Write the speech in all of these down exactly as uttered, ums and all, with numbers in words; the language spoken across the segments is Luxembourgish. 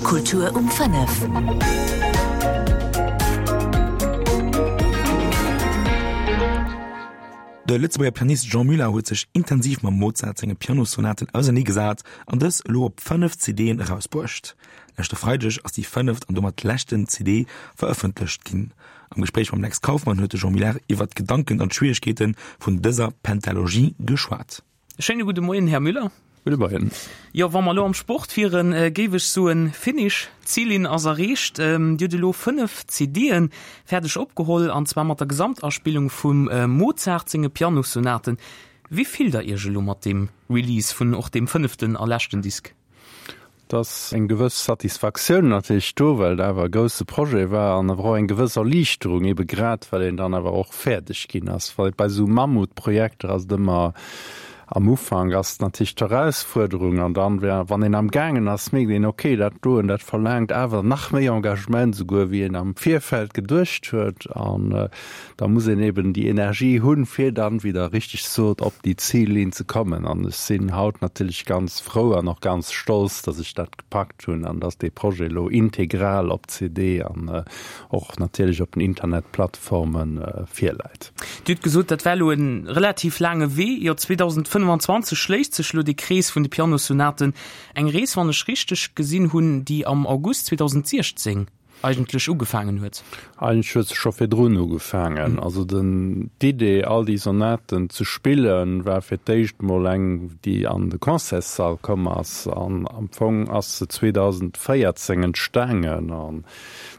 Kultur um fënnef. De Lëtzebuerger Pianist Jean Muller huet sech intensiv mam Mozart senge Pianossonaten auserneegesat an dës elo op fënnef CDen erausbruecht. Leschte Freideg ass déi fënneft an domat leschten C D verëffentlecht ginn. Am Gespréich mam Lex Kauffmann huet de Jean Muller iwwer d'Gedanken an d'Schwieregkeete vun dëser Pentalogie geschwat. Schéine gudde Moien, Här Müller. Gudde Moien. Jo, wa mer elo am Sport wieren, géif ech soen, Finish, d'Zillinn ass erreecht. Dir hutt elo fënnef C D'en fäerdeg opgeholl, an zwar mat der Gesamtaspillung vum Mozart senge Pianossonaten. Wéi fillt der Iech elo mat deem Release vun och deem fënneften a leschten Disk? Et ass eng gewëss Satisfaktioun natierlech do, well et awer e grousse Projet war, an awer och eng gewëss Erliichterung, ebe grad well een dann awer och fäerdeg ginn ass. Well bei esou Mammutprojekter ass et ëmmer, am Ufank ass natierlech d'Erausfuerderung an dann, wann een am gaangen ass, mierkt een, okay, dat doen, dat verlaangt awer nach méi Engagement souguer wéi een am Virfeld geduecht huet, an da muss een eben déi Energie hunn, fir dann, wéi Der richteg sot, op déi Zillinn ze kommen. An ech sinn haut natierlech ganz frou an och ganz stolz, dass ech dat gepackt hunn an dass dee Projet elo integral op C D an och natierlech op den Internetplattforme virläit. Dir hutt gesot, dat war elo e relativ laange Wee. Jo, zweedausendfënnefanzwanzeg schléisst sech elo dee Krees vun de Pianossonaten. Eng Rees, wann ech richteg gesinn hunn, déi am August zweedausendsiechzéng eigentlech ugefaangen huet. Eigentlech huet se scho virdrun ugefaangen. Also den, d'Idee, all déi Sonaten ze spillen, war fir d'éischt mol eng, déi an de Concertssall komm ass. An am Fong ass se zweedausendvéierzéng entstaangen an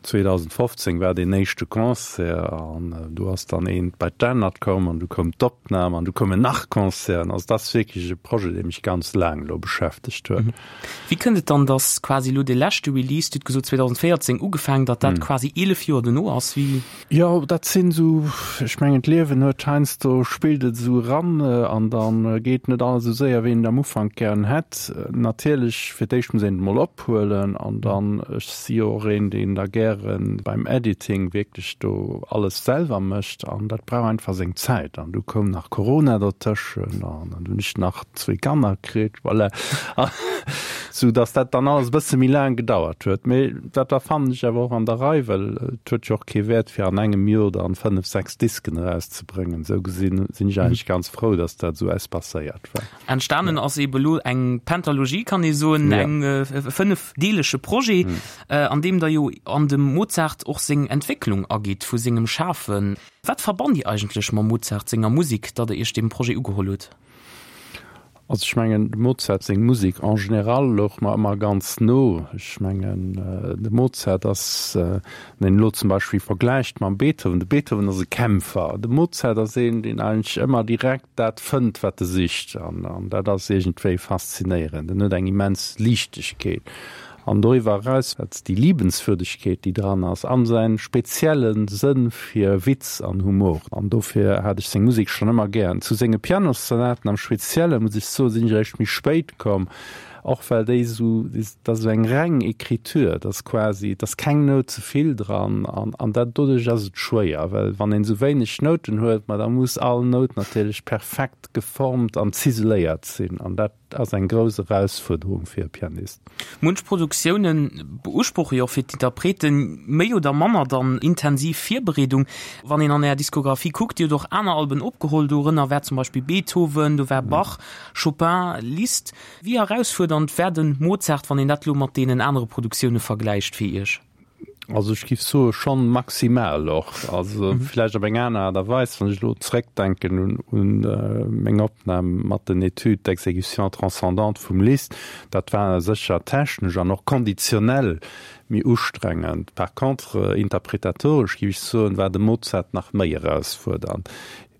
zweedausendfofzéng war deen éischte Concert an do ass dann eent bei d'anert komm an du koum d'Opnam an du koumen nach Concerten. Also dat ass wierklech e Projet, dee mech ganz laang elo beschäftegt huet. Wéi kënnt et dann, dass quasi elo dee leschte Release, Dir hutt gesot zweedausendvéierzéng ugefaangen, datt dat quasi eelef Joer dono ass? Wéi? Jo, dat sinn esou, ech mengen d'Liewen huet heiansdo, spillt et esou eran an da geet net alles esou séier, wéi een et am Ufank gären hätt. Natierlech, fir d'éischt muss een et emol ophuelen an dann, ech si jo och een, deen da gäre beim Editing wierklech do alles selwer mécht an dat brauch einfach seng Zäit. An du koum nach Corona dertëschen an dann hunn ech nach zwee Kanner kritt, voilà, sou datt dat dann alles e bësse méi laang gedauert huet. Mee dat war, fannen ech, awer och an der Rei, well et huet jo och kee Wäert fir an engem Joer dann fënnef, sechs Disken erauszebréngen. Sou gesinn sinn ech eigentlech ganz frou, datt dat esou espacéiert war. Entstanen ass ebe lo eng Pentalogie, kann ee soen, eng fënnefdeelege Projet, an deem Der jo an dem Mozart och seng Entwécklung agitt vu sengem Schafen. Wat verbannt Dir eigentlech mam Mozart senger Musek, datt Der Iech deem Projet ugeholl hutt? Also ech mengen, dem Mozart seng Musek en général louch mer ëmmer ganz no. Ech mengen, de Mozart ass, wann een elo zum Beispill vergläicht mam Beethoven, de Beethoven ass e Kämpfer, de Mozart ass een, deen eigentlech ëmmer direkt dat fënnt, wat e sicht. An dat ass iergendwéi faszinéierend. En huet eng immens Liichtegkeet. An doriwwer eraus wat déi Liebenswürdegkeet, déi dran ass, an säin spezielle Sënn fir Witz an Humor. An dofir hat ech seng Musek schonn ëmmer gären. Zu senge Pianossonaten am Spezielle muss ech soen, sinn ech eréischt méi spéit komm, och well déi esou, dat ass esou eng reng Écriture, dat ass quasi, et ass keng Nout ze vill dran an an dat doduerch ass et schwéier, well wann een esou wéineg Nouten huet, ma da muss all Nout natierlech perfekt geformt an ziseléiert sinn an dat ass eng grouss Erausfuerderung fir e Pianist. Munch Produktioune beusproche jo och fir d'Interpreten méi oder manner dann intensiv Virbereedung. Wann een an Är Diskografie kuckt, Dir hutt och aner Alben opgeholl, dorënner war zum Beispill Beethoven, do war Bach, Chopin, Liszt. Wéi erausfuerdernd war de Mozart, wann een dat elo mat deenen anere Produktioune vergläicht, fir Iech? Also ech giff soe schonn maximal och. Also vläicht op eng aner Aart a Weis, wann ech elo zréckdenken un un meng Opnam mat den Études d'exécution transcendante vum Liszt, dat war sécher technesch an och konditionell méi ustrengend. Par contre interpretatoresch, giff ech soen, war de Mozart nach méi erausfuerdernd.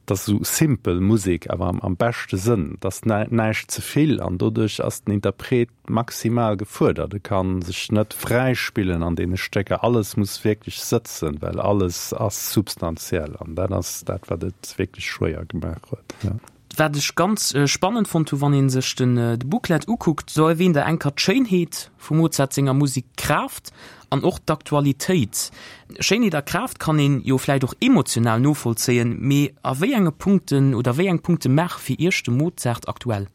Et ass esou simpel Musek, awer am beschte Sënn. Et ass näischt ze vill an doduerch ass den Interpret maximal gefuerdert. E ka sech net fräi spillen an deene Stécker. Alles muss wierklech sëtzen, well alles ass substantiell an dat ass dat, wat et wierklech schwéier gemaach huet. Wat ech ganz spannend fonnt hu, wann ee sech de Booklet ukuckt, do erwähnt Der enker d'Schéinheet vum Mozart senger Musek, d'Kraaft an och d'Aktualitéit. Schéinheet a Kraaft kann een jo vläicht och emotional novollzéien, mee a wéi enge Punkten oder wéi eng Punkte maache fir Iech de Mozart aktuell?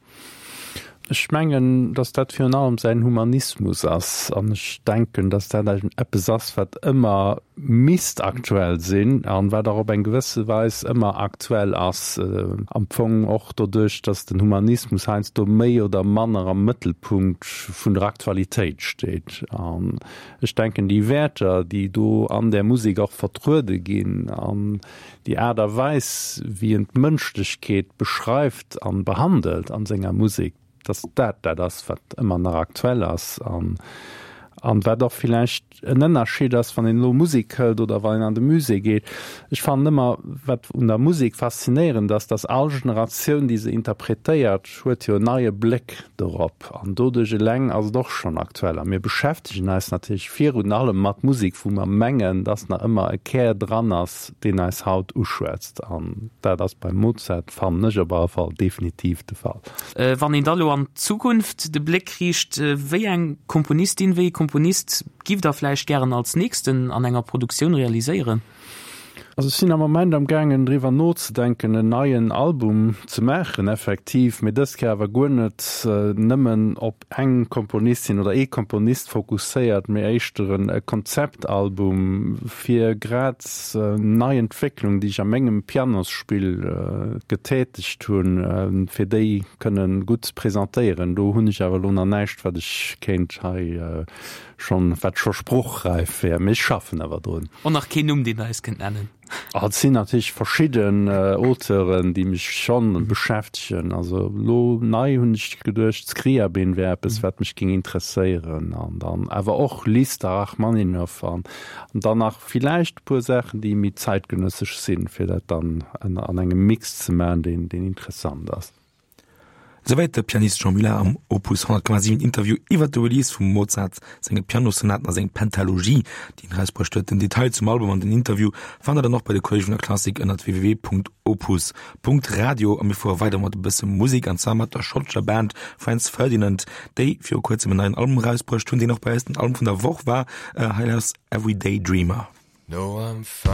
Ech mengen, dass dat virun allem säin Humanismus ass an ech denken, dass dat eppes ass, wat ëmmer misst aktuell sinn an wat och op eng gewësse Weis ëmmer aktuell ass, am Fong och doduerch, dass den Humanismus heiansdo méi oder manner am Mëttelpunkt vun der Aktualitéit steet. An ech denken, déi Wäerter, déi do an där Musek och vertruede ginn an déi Aart a Weis, wéi en d'Mënschlechkeet beschreift an behandelt an senger Musek, dass dat dat ass, wat ëmmer nach aktuell ass an an wat och villäicht en Ënnerscheed ass, wann een elo Musek hëlt oder wann een an de Musée geet. Ech fannen ëmmer, wat un der Musek faszinéierend ass, dass all Generatioun, déi se interpretéiert, huet jo en neie Bléck dorop an doduerch eleng ass et och schonn aktuell. A mir beschäftegen eis natierlech virun allem mat Musek, wou mer mengen, dass nach ëmmer e Kär dran ass, deen eis haut uschwätzt. An dat ass beim Mozart, fannen ech op alle Fall, definitiv de Fall. Wann een da lo an d'Zukunft de Bléck riicht, wéi eng Komponistin, wéi ee Komponist giff Der vläicht gären als nächsten an enger Produktioun realiséieren? Also ech sinn am Moment am gaangen driwwer nozedenken en neien Album ze maachen effektiv, mee dës Kéier awer guer net nëmmen op eng Komponistin oder ee Komponist fokusséiert, mee éischter e Konzeptalbum fir grad nei Entwécklung, déi ech a mengem Pianosspill getätegt hunn, fir déi kënne gutt ze presentéieren. Do hunn ech awer elo nach näischt wat ech kéint hei schonn, wat scho sprochräif wär, mee ech schaffen awer drun. Och nach keen Numm, deen Der eis kënnt nennen? Et sinn natierlech verschidden Auteuren, déi mech schonn beschäftegen. Also elo nei hunn ech geduecht, Scriabin wär eppes, wat mech géing interesséieren. An dann awer och Liszt a Rachmaninoff an dann nach villäicht e puer Saachen, déi méi zäitgenëssesch sinn, fir dat dann an engem Mix ze maachen, deen interessant ass. Souwäit de Pianist Jean Muller am Opus honnert Komma siwen Interview iwwer de Release vum Mozart senge Pianossonaten a seng Pentalogie, déi en erausbruecht huet. Den Detail zum Album an den Interview fannt der dann och bei de Kolleege vun der Klassik ënnert www.opus.radio. A mir fuere weider mat e bësse Musek, an zwar mat der schottescher Band Franz Ferdinand, déi viru kuerzem en neien Album erausbruecht hunn, deen och bei eis den Album vun der Woch war. Hei lauscht Everyday Dreamer. No, I'm fine.